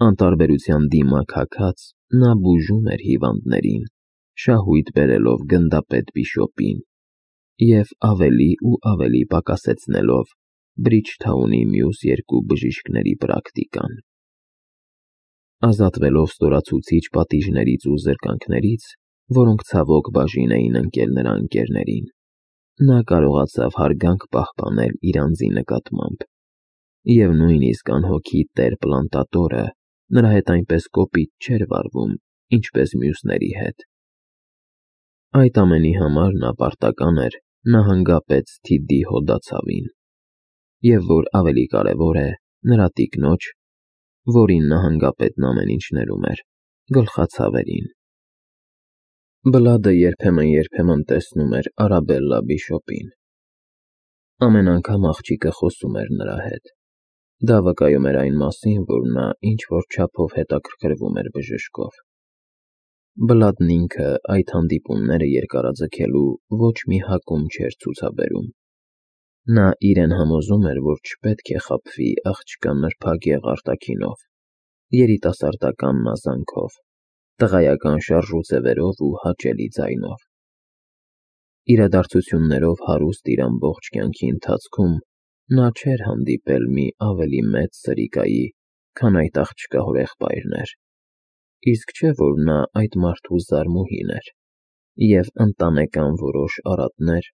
Անտարբերության դիմակ հագած նա բուժում էր հիվանդներին, շահույթ բերելով գնդապետ Բիշոպին և ավելի ու ավելի պակասեցնելով Բրիջթաունի մյուս երկու բժիշկների պրակտիկան։ Ազատվելով ստորացուցիչ պատիժներից ու զրկանքներից, որոնք ցավոք բաժին էին ընկել նրա ընկերներին, նա կարողացավ հարգանք պահպանել իր անձի նկատմամբ, և նույնիսկ անհոգի տեր Պլանտատորը նրա հետ այնպես կոպիտ չէր վարվում, ինչպես մյուսների հետ։ Այդ ամենի համար նա պարտական էր նահանգապետ Սթիդի հոդացավին, և որ ավելի կարևոր է, նրա տիկնոջ, որին նահանգապետն ամեն ինչ ներում էր, գլխացավերին։ Բլադը երբեմն տեսնում էր Արաբելլա Բիշոպին։ Ամեն անգամ աղջիկը խոսում էր նրա հետ։ Դա վկայում էր այն մասին, որ նա ինչ-որ չափով հետաքրքրվում էր բժշկով։ Բլադն ինքը այդ հանդիպումները երկարաձգելու ոչ մի հակում չէր ցուցաբերում։ Նա իրեն համոզում էր, որ չպետք է խաբվի աղջկա նրբագեղ արտաքինով, երիտասարդական մազանքով, տղայական շարժուձևերով ու հաճելի ձայնով։ Իրադարձություններով հարուստ իր ամբողջ կյանքի ընթացքում նա չէր հանդիպել մի ավելի մեծ սրիկայի, քան այդ աղջկա հորեղբայրն էր, իսկ չէ՞ որ նա այդ մարդու զարմուհին էր, և ընտանեկան որոշ արատներ,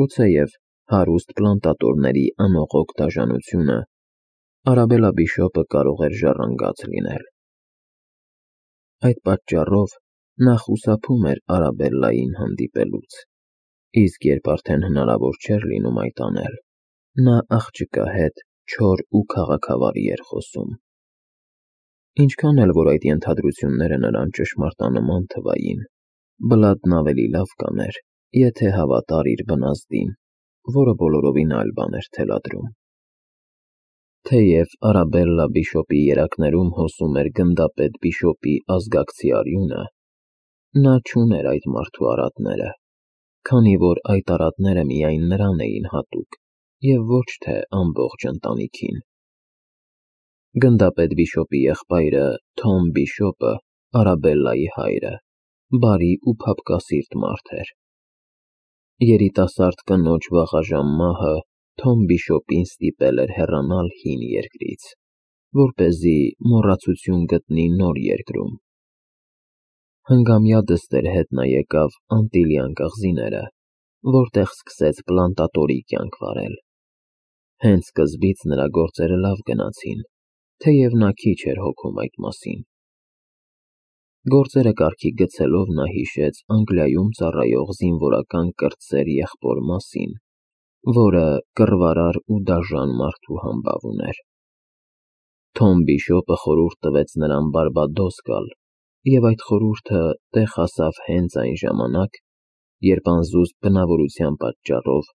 գուցեև հարուստ պլանտատորների անողոք դաժանությունը, Արաբելլա Բիշոպը կարող էր ժառանգած լինել։ Այդ պատճառով նա խուսափում էր Արաբելլային հանդիպելուց, իսկ երբ արդեն հնարավոր չէր լինում այդ անել, նա աղջկա հետ չոր ու քաղաքավարի էր խոսում։ Ինչքան էլ որ այդ ենթադրությունները նրան ճշմարտանման թվային, Բլադն ավելի լավ կաներ, եթե հավատար իր բնազդին, որը բոլորովին այլ բան էր թելադրում։ Թեև Արաբելլա Բիշոպի երակներում հոսում էր գնդապետ Բիշոպի ազգակցի արյունը, նա չուներ այդ մարդու արատները, քանի որ այդ արատները միայն նրան էին հատուկ և ոչ թե ամբողջ ընտանիքին։ Գնդապետ Բիշոպի եղբայրը Թոմ Բիշոպը, Արաբելլայի հայրը, բարի ու փափկասիրտ մարդ էր։ Երիտասարդ կնոջ վաղաժամ մահը Թոմ Բիշոպին ստիպել էր հեռանալ հին երկրից, որպեսզի մոռացություն գտնի նոր երկրում։ Հնգամյա դստեր հետ նա եկավ Անտիլյան կղզիները, որտեղ սկսեց պլանտատորի կյանք վարել։ Հենց սկզբից նրա գործերը լավ գնացին, թեև նա քիչ էր հոգում այդ մասին։ Գործերը կարգի գցելով նա հիշեց Անգլիայում ծառայող զինվորական կրտսեր եղբոր մասին, որը կռվարար ու դաժան մարդու համբավ ուներ։ Թոմ Բիշոպը խորհուրդ տվեց նրան Բարբադոս գալ, և այդ խորհուրդը տեղ հասավ հենց այն ժամանակ, երբ անզուսպ բնավորության պատճառով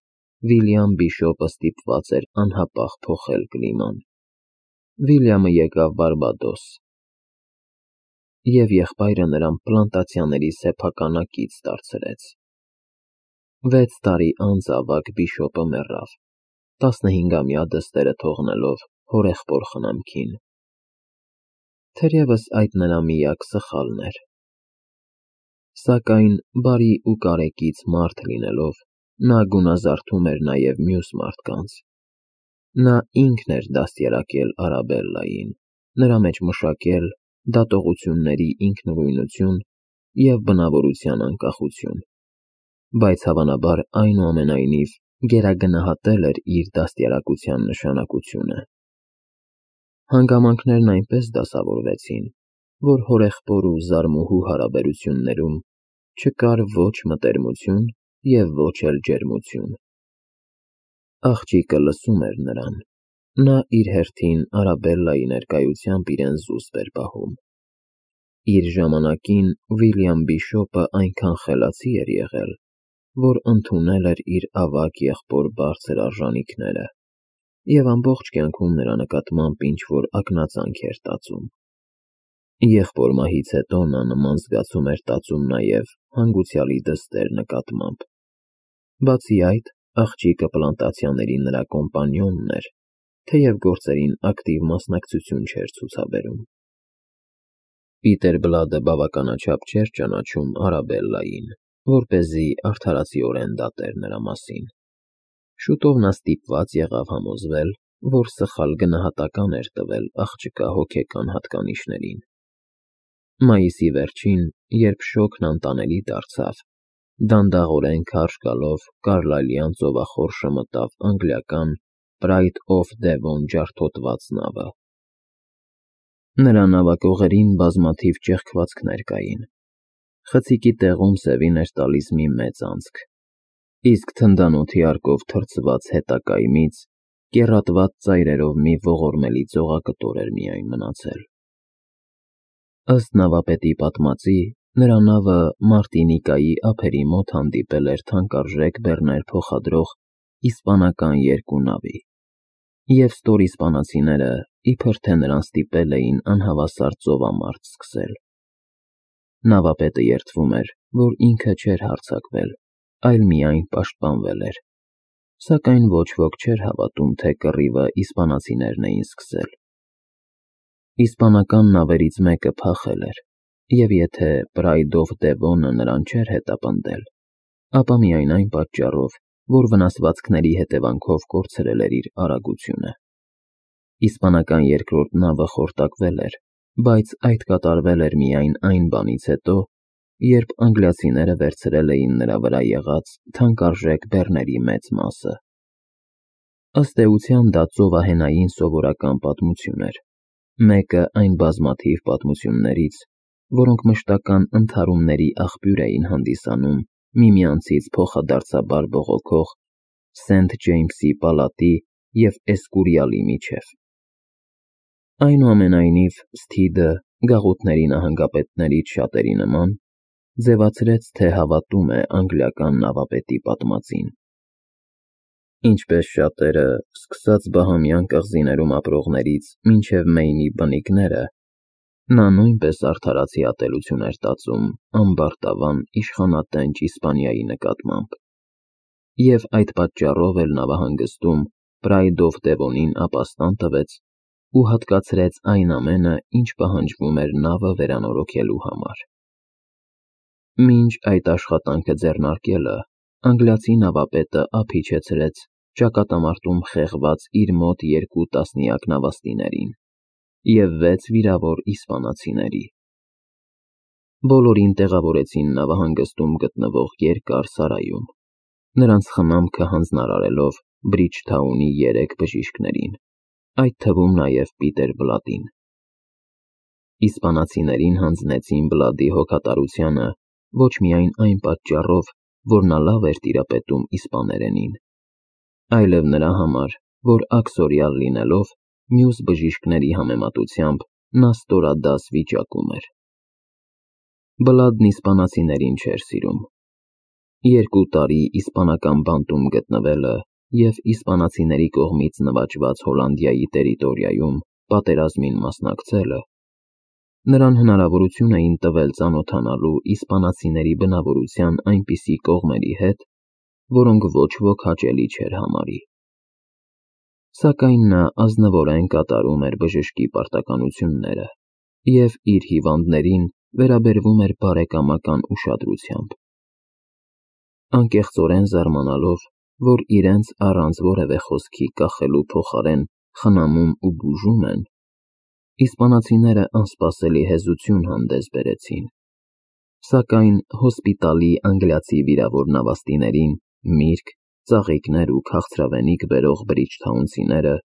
Վիլյամ Բիշոպը ստիպված էր անհապաղ փոխել կլիման։ Վիլյամը եկավ Բարբադոս, և եղբայրը նրան պլանտացիաների սեփականատից դարձրեց։ 6 տարի անց ավագ Բիշոպը մեռավ, 15-ամյա դստերը թողնելով հորեղբոր խնամքին։ Թերևս այդ նրա միակ սխալն էր։ Սակայն բարի ու կարեկից մարդ լինելով, նա գունազարդում էր նաև մյուս մարդկանց։ Նա ինքն էր դաստիարակել Արաբելլային, նրա մեջ մշակել դատողությունների ինքնուրույնություն և բնավորության անկախություն, բայց հավանաբար այնուամենայնիվ գերագնահատել էր իր դաստիարակության նշանակությունը։ Հանգամանքներն այնպես դասավորվեցին, որ հորեղբոր ու զարմուհու հարաբերություններում չկար ոչ մտերմություն և ոչ էլ ջերմություն։ Աղջիկը լսում էր նրան, նա իր հերթին Արաբելլայի ներկայությամբ իրեն զուսպ էր պահում։ Իր ժամանակին Վիլյամ Բիշոպը այնքան խելացի էր եղել, որ ընդունել էր իր ավագ եղբոր բարձր արժանիքները և ամբողջ կյանքում նրա նկատմամբ ինչ-որ ակնածանք էր տածում։ Եղբոր մահից հետո նա նման զգացում էր տածում նաև հանգուցյալի դստեր նկատմամբ։ Բացի այդ, աղջիկը պլանտացիաների նրա կոմպանիոնն էր, թեև գործերին ակտիվ մասնակցություն չէր ցուցաբերում։ Պիտեր Բլադը բավականաչափ չէր ճանաչում Արաբելլային, որպեսզի արդարացիորեն դատեր նրա մասին։ Շուտով նա ստիպված եղավ համոզվել, որ սխալ գնահատական էր տվել աղջկա հոգեկան հատկանիշներին։ Մայիսի վերջին, երբ շոգն անտանելի դարձավ, դանդաղորեն քարշ գալով Կարլայլյան ծովախորշը մտավ անգլիական Pride of Devon ջարդոտված նավը։ Նրա նավակողերին բազմաթիվ ճեղքվածքներ կային։ Խցիկի տեղում սևին էր տալիս մի մեծ անցք, իսկ թնդանոթի արկով թրծված հետակայմից կեռատված ծայրերով մի ողորմելի ծողակտոր էր միայն մնացել։ Ըստ նավապետի պատմածի, նրա նավը Մարտինիկայի ափերի մոտ հանդիպել էր թանկարժեք բեռներ փոխադրող իսպանական երկու նավի, և ստորիսպանացիները իբր թե նրան ստիպել էին անհավասար ծովամարտ սկսել։ Նավապետը երդվում էր, որ ինքը չէր հարձակվել, այլ միայն պաշտպանվել էր, սակայն ոչ ոք չէր հավատում, թե կռիվը իսպանացիներն էին սկսել։ Իսպանական նավերից մեկը փախել էր, և եթե Pride of Devon-ը նրան չէր հետապնդել, ապա միայն այն պատճառով, որ վնասվածքների հետևանքով կորցրել էր իր արագությունը։ Իսպանական երկրորդ նավը խորտակվել էր, բայց այդ կատարվել էր միայն այն բանից հետո, երբ անգլիացիները վերցրել էին նրա վրա եղած թանկարժեք բեռների մեծ մասը։ Ըստ էության դա ծովահենային սովորական պատմություն էր, մեկը այն բազմաթիվ պատմություններից, որոնք մշտական ընդհարումների աղբյուր էին հանդիսանում միմյանցից փոխադարձաբար բողոքող Սենթ Ջեյմսի պալատի և Էսկուրիալի միջև։ Այնուամենայնիվ, Սթիդը, գաղութների նահանգապետներից շատերի նման, ձևացրեց, թե հավատում է անգլիական նավապետի պատմածին։ Ինչպես շատերը, սկսած Բահամյան կղզիներում ապրողներից մինչև Մեյնի բնիկները, նա նույնպես արդարացի ատելություն էր տածում ամբարտավան իշխանատենչ Իսպանիայի նկատմամբ, և այդ պատճառով էլ նավահանգստում Pride of Devon-ին ապաստան տվեց ու հատկացրեց այն ամենը, ինչ պահանջվում էր նավը վերանորոգելու համար։ Մինչ այդ աշխատանքը ձեռնարկելը, անգլիացի նավապետը ափ իջեցրեց ճակատամարտում խեղված իր մոտ 2 տասնյակ նավաստիներին և 6 վիրավոր իսպանացիների։ Բոլորին տեղավորեցին նավահանգստում գտնվող երկար սարայում, նրանց խնամքը հանձնարարելով Բրիջթաունի 3 բժիշկներին, այդ թվում նաև Պիտեր Բլադին։ Իսպանացիներին հանձնեցին Բլադի հոգատարությանը ոչ միայն այն պատճառով, որ նա լավ էր տիրապետում իսպաներենին, այլև նրա համար, որ աքսորիալ լինելով, մյուս բժիշկների համեմատությամբ նա ստորադաս վիճակում էր։ Բլադն իսպանացիներին չէր սիրում։ 2 տարի իսպանական բանտում գտնվելը և իսպանացիների կողմից նվաճված Հոլանդիայի տերիտորիայում պատերազմին մասնակցելը նրան հնարավորություն էին տվել ծանոթանալու իսպանացիների բնավորության այնպիսի կողմերի հետ, որոնք ոչ ոք հաճելի չէր համարի։ Սակայն նա ազնվորեն կատարում էր բժշկի պարտականությունները և իր հիվանդներին վերաբերվում էր բարեկամական ուշադրությամբ։ Անկեղծորեն զարմանալով, որ իրենց առանց որևէ խոսքի կախելու փոխարեն խնամում ու բուժում են, իսպանացիները անսպասելի հեզություն հանդես բերեցին, սակայն հոսպիտալի անգլիացի վիրավոր նավաստիներին միրգ, ծաղիկներ ու քաղցրավենիք բերող բրիջթաունցիները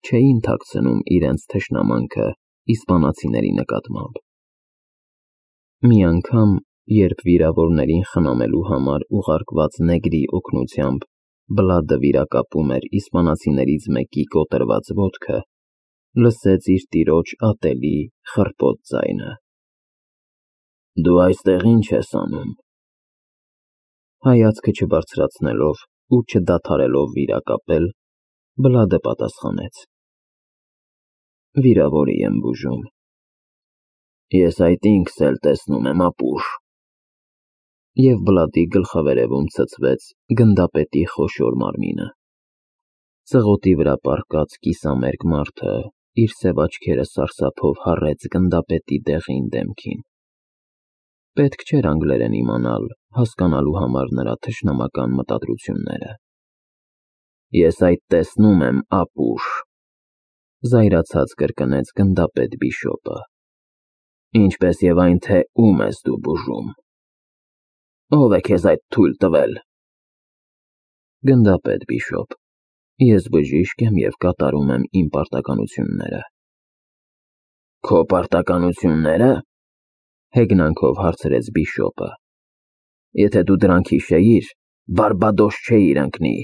չէին թաքցնում իրենց թշնամանքը իսպանացիների նկատմամբ։ Մի անգամ, երբ վիրավորներին խնամելու համար ուղարկված նեգրի օգնությամբ Բլադը վիրակապում էր իսպանացիներից մեկի կոտրված ոտքը, լսեց իր տիրոջ ատելի, խռպոտ ձայնը. «Դու այստեղ ի՞նչ ես անում»։ Հայացքը չբարձրացնելով ու չդադարելով վիրակապել, Բլադը պատասխանեց. «Վիրավորի եմ բուժում»։ «Ես այդ ինքս էլ տեսնում եմ, ապուշ»։ Եվ Բլադի գլխավերևում ցցվեց գնդապետի խոշոր մարմինը։ Ծղոտի վրա պառկած կիսամերկ մարդը իր սև աչքերը սարսափով հառեց գնդապետի դեղին դեմքին։ Պետք չէր անգլերեն իմանալ, հասկանալու համար նրա թշնամական մտադրությունները։ Ես այդ տեսնում եմ, ապուշ, զայրացած կրկնեց գնդապետ Բիշոպը։ Ինչպես եւ այն, թե ում ես դու բուժում։ Ով է քեզ այդ թույլ տվել։ Գնդապետ Բիշոպ, ես բժիշկ եմ եւ կատարում եմ իմ պարտականությունները։ Քո պարտականությունները։ Հեգնանքով հարցրեց Բիշոպը։ Եթե դու դրանք հիշեիր, Բարբադոս չէիր ընկնի։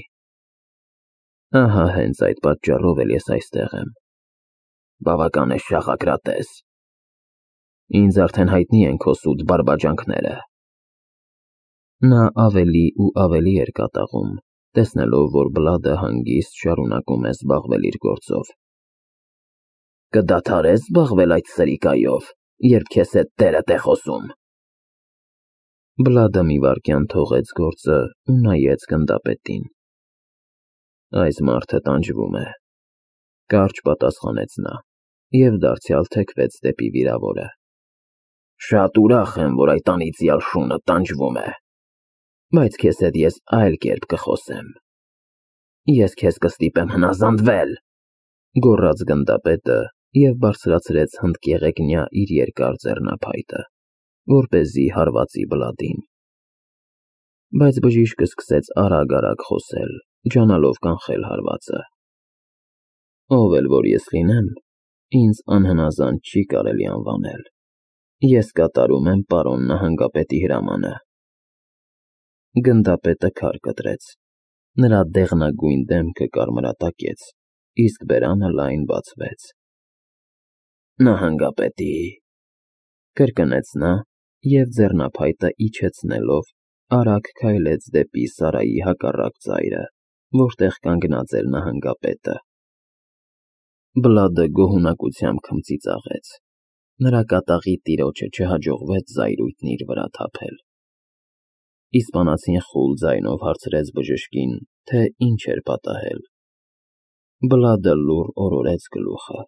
Ահա հենց այդ պատճառով էլ ես այստեղ եմ։ Բավական է շաղակրատես։ Ինձ արդեն հայտնի են քո սուտ բարբաջանքները։ Նա ավելի ու ավելի էր կատաղում, տեսնելով, որ Բլադը հանգիստ շարունակում է զբաղվել իր գործով։ Կդադարես զբաղվել այդ սրիկայով, երբ քեզ հետ տերդ է խոսում։ Բլադը մի վայրկյան թողեց գործը ու նայեց գնդապետին։ Այս մարդը տանջվում է, կարճ պատասխանեց նա և դարձյալ թեքվեց դեպի վիրավորը։ Շատ ուրախ եմ, որ այդ անիծյալ շունը տանջվում է, բայց քեզ հետ ես այլ կերպ կխոսեմ։ Ես քեզ կստիպեմ հնազանդվել, գոռաց գնդապետը և բարձրացրեց հնդկեղեգնյա իր երկար ձեռնափայտը, որպեսզի հարվածի Բլադին։ Բայց բժիշկը սկսեց արագ խոսել, ջանալով կանխել հարվածը։ Ով էլ որ ես լինեմ, ինձ անհնազանդ չի կարելի անվանել։ Ես կատարում եմ պարոն նահանգապետի հրամանը։ Գնդապետը քար կտրեց։ Նրա դեղնագույն դեմքը կարմրատակեց, իսկ բերանը լայն բացվեց։ Նահանգապետի, կրկնեց նա և ձեռնափայտը իջեցնելով արագ քայլեց դեպի Սարայի հակառակ ծայրը, որտեղ կանգնած էր նահանգապետը։ Բլադը գոհունակությամբ քմծիծաղեց։ Նրա կատաղի տիրոջը չհաջողվեց զայրույթն իր վրա թափել։ Իսպանացին խուլ ձայնով հարցրեց բժշկին, թե ինչ էր պատահել։ Բլադը լուռ օրորեց գլուխը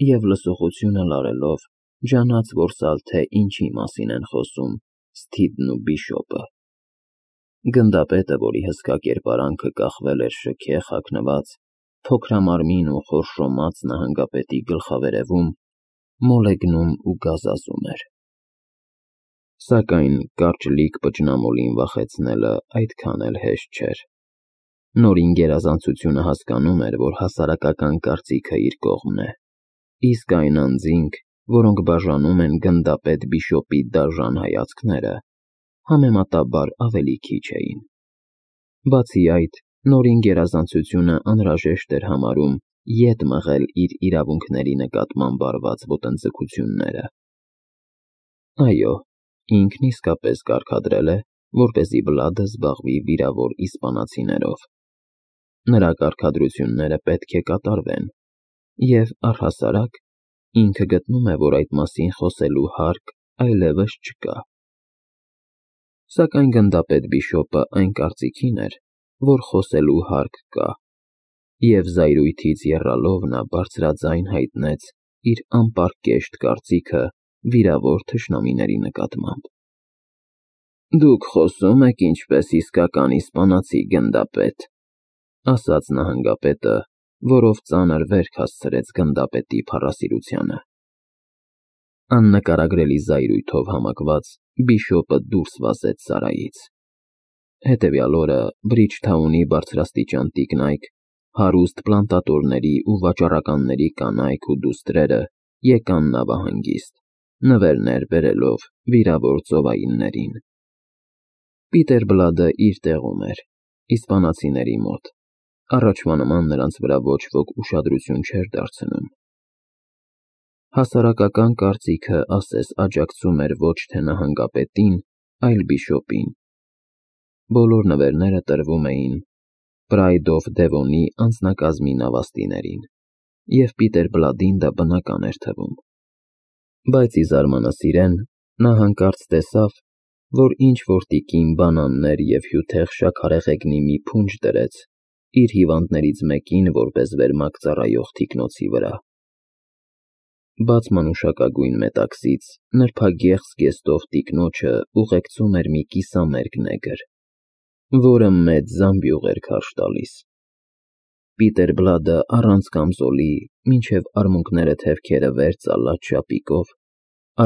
և լսողությունը լարելով ջանաց որսալ, թե ինչի մասին են խոսում Սթիվնն ու Բիշոպը։ Գնդապետը, որի հսկա կերպարանքը կախվել էր շքեղ հագնված, փոքրամարմին ու խորշոմած նահանգապետի գլխավերևում, մոլեգնում ու գազազում էր։ Սակայն կարճլիկ պճնամոլին վախեցնելը այդքան էլ հեշտ չէր։ Նորին գերազանցությունը հասկանում էր, որ հասարակական կարծիքը իր կողմն է, իսկ այն անձինք, որոնք բաժանում են գնդապետ Բիշոպի դաժան հայացքները, համեմատաբար ավելի քիչ էին։ Բացի այդ, նորին գերազանցությունը անհրաժեշտ էր համարում ետ մղել իր իրավունքների նկատմամբ արված ոտնձգությունները։ Այո, ինքն իսկապես կարգադրել է, որպեսզի Բլադը զբաղվի վիրավոր իսպանացիներով։ Նրա կարգադրությունները պետք է կատարվեն, և առհասարակ ինքը գտնում է, որ այդ մասին խոսելու հարկ այլևս չկա։ Սակայն գնդապետ Բիշոպը այն կարծիքին էր, որ խոսելու հարկ կա, և զայրույթից եռալով նա բարձրաձայն հայտնեց իր անպարկեշտ կարծիքը վիրավոր թշնամիների նկատմամբ։ Դուք խոսում եք ինչպես իսկական իսպանացի գնդապետ, ասաց նահանգապետը, որով ծանր վերք հասցրեց գնդապետի փառասիրությանը։ Աննկարագրելի զայրույթով համակված Բիշոպը դուրս վազեց սարայից։ Հետևյալ օրը Բրիջթաունի բարձրաստիճան տիկնայք, հարուստ պլանտատորների ու վաճառականների կանայք ու դուստրերը եկան նավահանգիստ, նվերներ բերելով վիրավոր ծովայիններին։ Պիտեր Բլադը իր տեղում էր, իսպանացիների մոտ, առաջվա նման նրանց վրա ոչ ոք ուշադրություն չէր դարձնում։ Հասարակական կարծիքը ասես աջակցում էր ոչ թե նահանգապետին, այլ Բիշոպին։ Բոլոր նվերները տրվում էին Pride of Devon-ի անձնակազմի նավաստիներին, և Պիտեր Բլադին դա բնական էր թվում։ Բայց ի զարմանս իրեն, նա հանկարծ տեսավ, որ ինչ-որ տիկին բանաններ և հյութեղ շաքարեղեգնի մի փունջ դրեց իր հիվանդներից մեկին որպես վերմակ ծառայող թիկնոցի վրա։ բաց մանուշակագույն մետաքսից նրբագեղ զգեստով տիկնոջը ուղեկցում էր մի կիսամերկ նեգր, որը մեծ զամբյուղ էր քարշ տալիս։ Պիտեր Բլադը առանց կամզոլի, մինչև արմունկները թևքերը վեր ծալած շապիկով,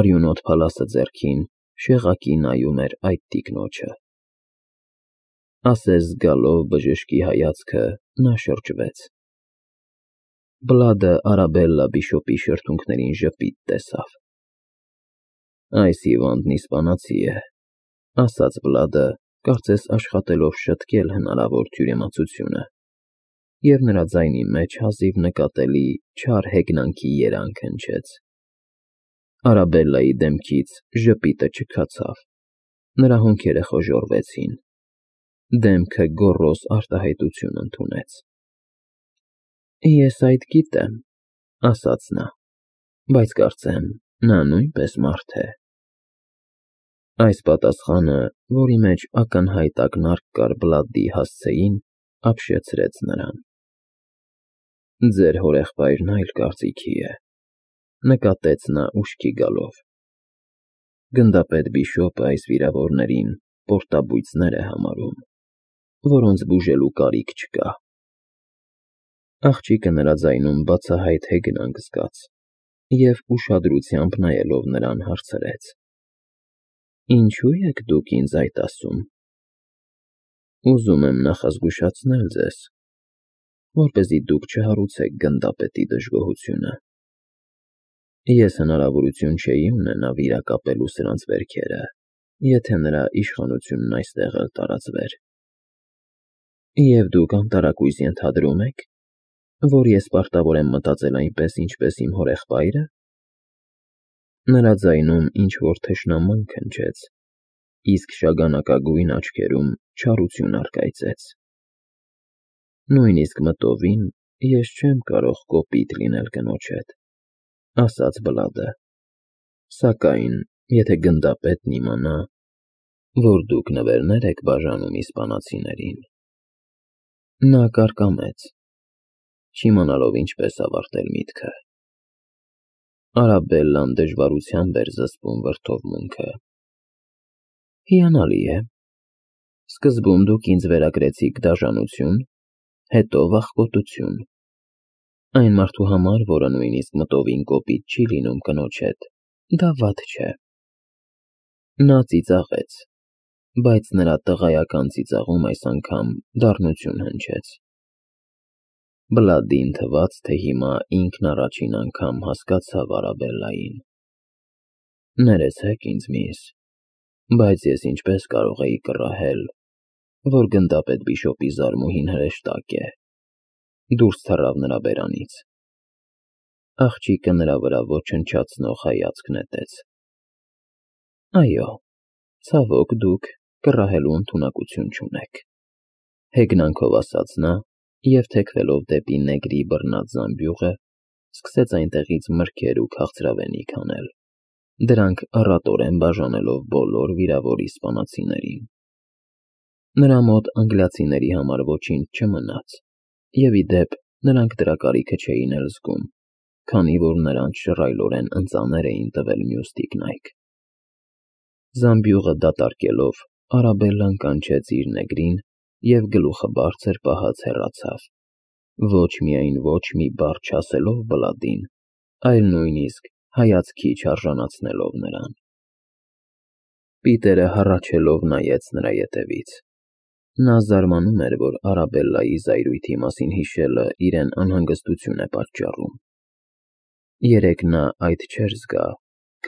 արյունոտ փալասը ձեռքին, շեղակի նայում էր այդ տիկնոջը։ Ասես զգալով բժշկի հայացքը, նա շրջվեց։ Բլադը Արաբելլա Բիշոպի շրթունքներին ժպիտ տեսավ։ Այս հիվանդն իսպանացի է, ասաց Բլադը, կարծես աշխատելով շտկել հնարավոր թյուրիմացությունը, և նրա ձայնի մեջ հազիվ նկատելի չար հեգնանքի երանգ հնչեց։ Արաբելլայի դեմքից ժպիտը չքացավ, նրա հոնքերը խոժոռվեցին, դեմքը գոռոզ արտահայտություն ընդունեց։ Ես այդ գիտեմ, ասաց նա, բայց կարծեմ, նա նույնպես մարդ է։ Այս պատասխանը, որի մեջ ակնհայտ ակնարկ կար Բլադի հասցեին, ապշեցրեց նրան։ Ձեր հորեղբայրն այլ կարծիքի է, նկատեց նա ուշքի գալով։ Գնդապետ Բիշոպը այս վիրավորներին պորտաբույծներ է համարում, որոնց բուժելու կարիք չկա։ Աղջիկը նրա ձայնում բացահայտ հեգնանք զգաց և ուշադրությամբ նայելով նրան հարցրեց. Ինչու եք դուք ինձ այդ ասում։ Ուզում եմ նախազգուշացնել ձեզ, որպեսզի դուք չհարուցեք գնդապետի դժգոհությունը։ Ես հնարավորություն չէի ունենա վիրակապելու սրանց վերքերը, եթե նրա իշխանությունն այստեղ էլ տարածվեր։ Եվ դուք անտարակույս ենթադրում եք, որ ես պարտավոր եմ մտածել այնպես, ինչպես իմ հորեղբայրը։ Նրա ձայնում ինչ-որ թշնամանք հնչեց, իսկ շագանակագույն աչքերում չարություն առկայծեց։ Նույնիսկ մտովին ես չեմ կարող կոպիտ լինել կնոջ հետ, ասաց Բլադը, սակայն, եթե գնդապետն իմանա, որ դուք նվերներ եք բաժանում իսպանացիներին… Նա կարկամեց, չիմանալով ինչպես ավարտել միտքը։ Արաբելլան դժվարությամբ էր զսպում վրդովմունքը։ Հիանալի է։ Սկզբում դուք ինձ վերագրեցիք դաժանություն, հետո վախկոտություն։ Այն մարդու համար, որը նույնիսկ մտովին կոպիտ չի լինում կնոջ հետ, դա վատ չէ։ Նա ծիծաղեց, բայց նրա տղայական ծիծաղում այս անգամ դառնություն հնչեց։ Բլադին թվաց, թե հիմա ինքն առաջին անգամ հասկացավ Արաբելլային։ Ներեցեք ինձ, միս, բայց ես ինչպես կարող էի կռահել, որ գնդապետ Բիշոպի զարմուհին հրեշտակ է։ Դուրս թռավ նրա բերանից։ Աղջիկը նրա վրա ոչնչացնող հայացք նետեց։ Այո, ցավոք դուք կռահելու ընդունակություն չունեք, հեգնանքով ասաց նա և թեքվելով դեպի նեգրի բռնած զամբյուղը, սկսեց այնտեղից մրգեր ու քաղցրավենիք հանել, դրանք առատորեն բաժանելով բոլոր վիրավոր իսպանացիներին։ Նրա մոտ անգլիացիների համար ոչինչ չմնաց, և ի դեպ նրանք դրա կարիքը չէին էլ զգում, քանի որ նրանց շռայլորեն ընծաներ էին տվել մյուս տիկնայք։ Զամբյուղը դատարկելով, Արաբելլան կանչեց իր նեգրին և գլուխը բարձր պահած հեռացավ, ոչ միայն ոչ մի բառ չասելով Բլադին, այլ նույնիսկ հայացքի չարժանացնելով նրան։ Պիտերը հառաչելով նայեց նրա ետևից։ Նա զարմանում էր, որ Արաբելլայի զայրույթի մասին հիշելը իրեն անհանգստություն է պատճառում։ Երեկ նա այդ չէր զգա,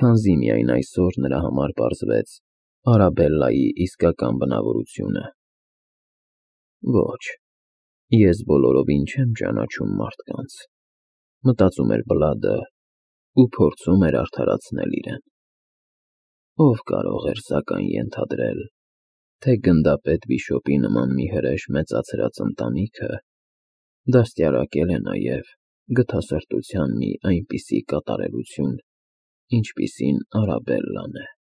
քանզի միայն այսօր նրա համար պարզվեց Արաբելլայի իսկական բնավորությունը։ Ոչ, ես բոլորովին չեմ ճանաչում մարդկանց, մտածում էր Բլադը ու փորձում էր արդարացնել իրեն։ Ով կարող էր սակայն ենթադրել, թե գնդապետ Բիշոպի նման մի հրեշ մեծացրած ընտանիքը դաստիարակել է նաև գթասրտության մի այնպիսի կատարելություն, ինչպիսին Արաբելլան է։